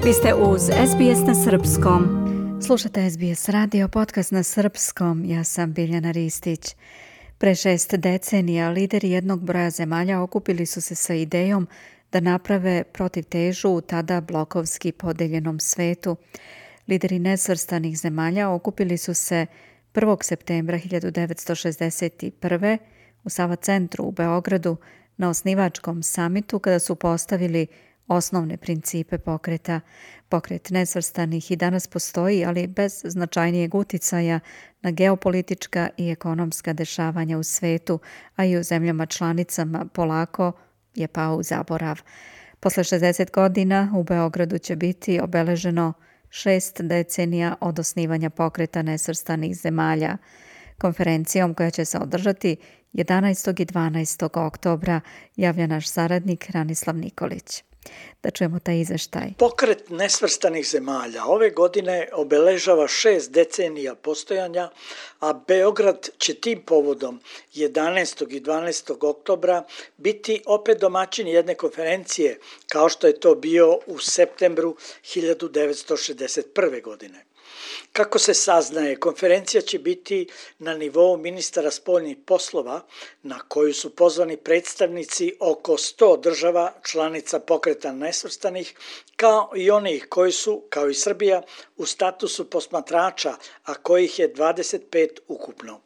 Vi ste uz SBS na Srpskom. Slušate SBS radio, podcast na Srpskom. Ja sam Biljana Ristić. Pre 6 decenija lideri jednog broja zemalja okupili su se sa idejom da naprave protivtežu u tada blokovski podeljenom svetu. Lideri nesvrstanih zemalja okupili su se 1. septembra 1961. u Sava centru u Beogradu na osnivačkom samitu kada su postavili osnovne principe pokreta. Pokret nesvrstanih i danas postoji, ali bez značajnijeg uticaja na geopolitička i ekonomska dešavanja u svetu, a i u zemljama članicama polako je pao u zaborav. Posle 60 godina u Beogradu će biti obeleženo 6 decenija od osnivanja pokreta nesvrstanih zemalja. Konferencijom koja će se održati 11. i 12. oktobra javlja naš saradnik Ranislav Nikolić. Da čujemo taj izveštaj. Pokret nesvrstanih zemalja ove godine obeležava 6 decenija postojanja, a Beograd će tim povodom 11. i 12. oktobra biti opet domaćin jedne konferencije, kao što je to bio u septembru 1961. godine. Kako se saznaje, konferencija će biti na nivou ministara spoljnih poslova, na koju su pozvani predstavnici oko 100 država članica pokreta nesvrstanih, kao i onih koji su, kao i Srbija, u statusu posmatrača, a kojih je 25 ukupno.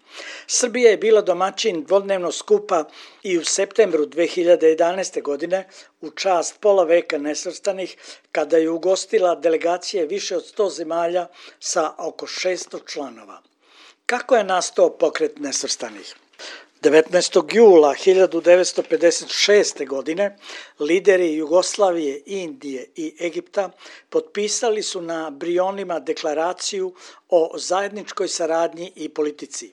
Srbija je bila domaćin dvodnevnog skupa i u septembru 2011. godine u čast pola veka nesvrstanih, kada je ugostila delegacije više od 100 zemalja sa oko 600 članova. Kako je nastao pokret nesvrstanih? 19. jula 1956. godine lideri Jugoslavije, Indije i Egipta potpisali su na Brionima deklaraciju o zajedničkoj saradnji i politici.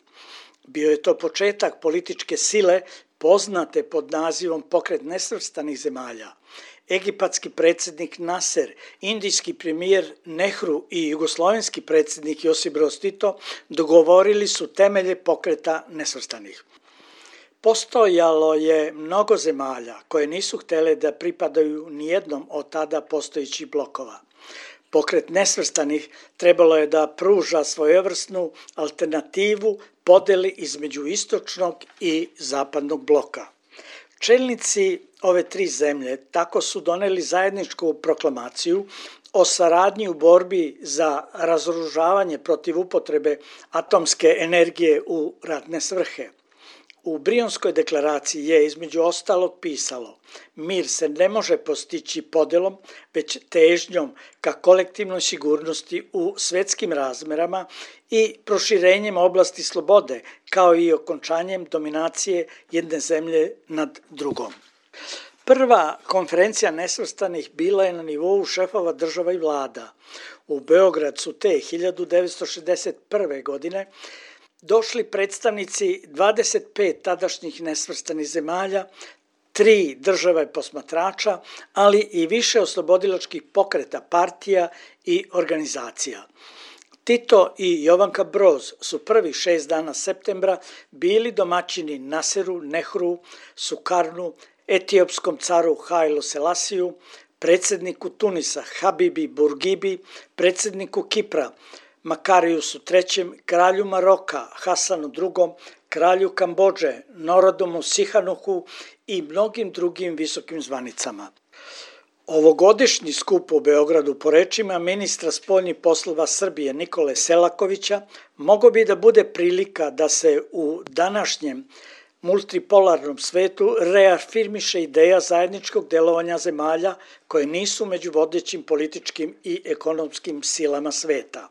Bio je to početak političke sile poznate pod nazivom Pokret nesvrstanih zemalja. Egipatski predsjednik Naser, indijski premijer Nehru i jugoslovenski predsjednik Josip Broz Tito dogovorili su temelje pokreta nesvrstanih. Postojalo je mnogo zemalja koje nisu htjele da pripadaju nijednom od tada postojećih blokova. Pokret nesvrstanih trebalo je da pruža svojevrsnu alternativu podeli između istočnog i zapadnog bloka. Čelnici ove 3 zemlje tako su doneli zajedničku proklamaciju o saradnji u borbi za razoružavanje protiv upotrebe atomske energije u ratne svrhe. U Brionskoj deklaraciji je između ostalog pisalo: mir se ne može postići podelom, već težnjom ka kolektivnoj sigurnosti u svetskim razmerama i proširenjem oblasti slobode, kao i okončanjem dominacije jedne zemlje nad drugom. Prva konferencija nesvrstanih bila je na nivou šefova država i vlada. U Beograd su te 1961. godine došli predstavnici 25 tadašnjih nesvrstanih zemalja, 3 države posmatrača, ali i više oslobodilačkih pokreta, partija i organizacija. Tito i Jovanka Broz su prvih 6 dana septembra bili domaćini Naseru, Nehru, Sukarnu, etiopskom caru Hajlu Selasiju, predsjedniku Tunisa Habibi Burgibi, predsjedniku Kipra Makarijusu III, kralju Maroka Hasanu II, kralju Kambodže Norodomu Sihanuhu i mnogim drugim visokim zvanicama. Ovogodišnji skup u Beogradu, po rečima ministra spoljnih poslova Srbije Nikole Selakovića, mogao bi da bude prilika da se u današnjem multipolarnom svetu reafirmiše ideja zajedničkog delovanja zemalja koje nisu među vodećim političkim i ekonomskim silama sveta.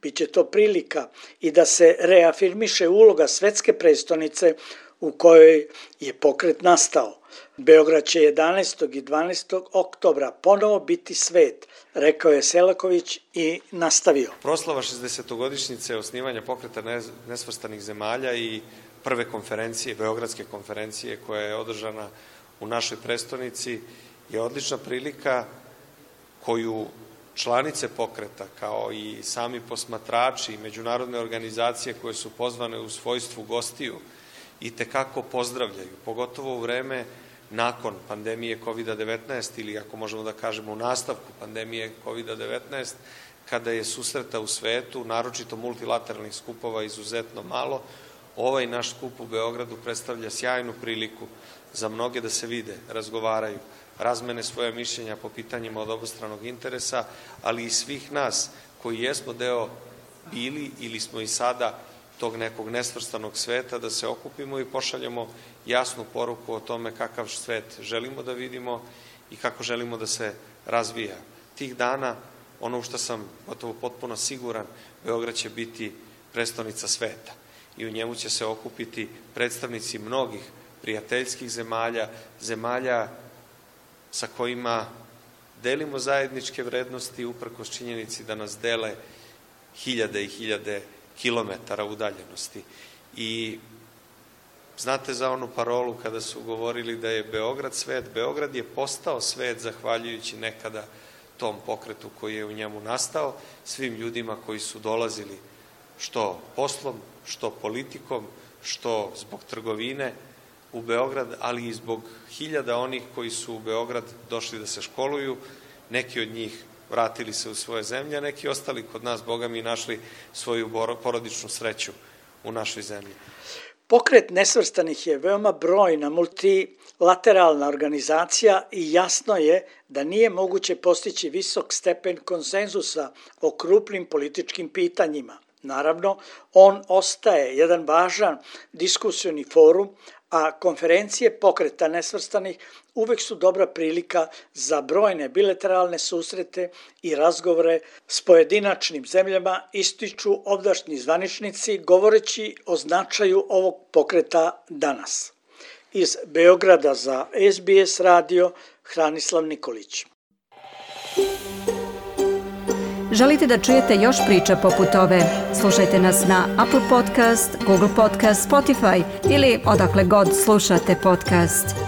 Biće to prilika i da se reafirmiše uloga svetske prestonice u kojoj je pokret nastao. Beograd će 11. i 12. oktobra ponovo biti svet, rekao je Selaković i nastavio. Proslava 60-godišnjice osnivanja pokreta nesvrstanih zemalja i prve konferencije, Beogradske konferencije koja je održana u našoj prestonici je odlična prilika koju članice pokreta, kao i sami posmatrači i međunarodne organizacije koje su pozvane u svojstvu gostiju, itekako pozdravljaju, pogotovo u vreme nakon pandemije COVID-19 ili ako možemo da kažemo u nastavku pandemije COVID-19, kada je susreta u svetu, naročito multilateralnih skupova, izuzetno malo, ovaj naš skup u Beogradu predstavlja sjajnu priliku za mnoge da se vide, razgovaraju, razmene svoje mišljenja po pitanjima od obostranog interesa, ali i svih nas koji jesmo deo bili ili smo i sada tog nekog nesvrstanog sveta, da se okupimo i pošaljemo jasnu poruku o tome kakav svet želimo da vidimo i kako želimo da se razvija. Tih dana, ono u što sam gotovo potpuno siguran, Beograd će biti prestonica sveta i u njemu će se okupiti predstavnici mnogih prijateljskih zemalja, zemalja sa kojima delimo zajedničke vrednosti uprkos činjenici da nas dele hiljade i hiljade kilometara udaljenosti. I znate za onu parolu kada su govorili da je Beograd svet, Beograd je postao svet zahvaljujući nekada tom pokretu koji je u njemu nastao, svim ljudima koji su dolazili što poslom, što politikom, što zbog trgovine u Beograd, ali i zbog hiljada onih koji su u Beograd došli da se školuju, neki od njih vratili se u svoje zemlje, a neki ostali kod nas, Boga mi, našli svoju porodičnu sreću u našoj zemlji. Pokret nesvrstanih je veoma brojna multilateralna organizacija i jasno je da nije moguće postići visok stepen konsenzusa o krupnim političkim pitanjima. Naravno, on ostaje jedan važan diskusioni forum, a konferencije Pokreta nesvrstanih uvek su dobra prilika za brojne bilateralne susrete i razgovore s pojedinačnim zemljama, ističu ovdašnji zvaničnici govoreći o značaju ovog pokreta danas. Iz Beograda za SBS radio, Hranislav Nikolić. Želite da čujete još priča poput ove? Slušajte nas na Apple Podcast, Google Podcast, Spotify ili odakle god slušate podcast.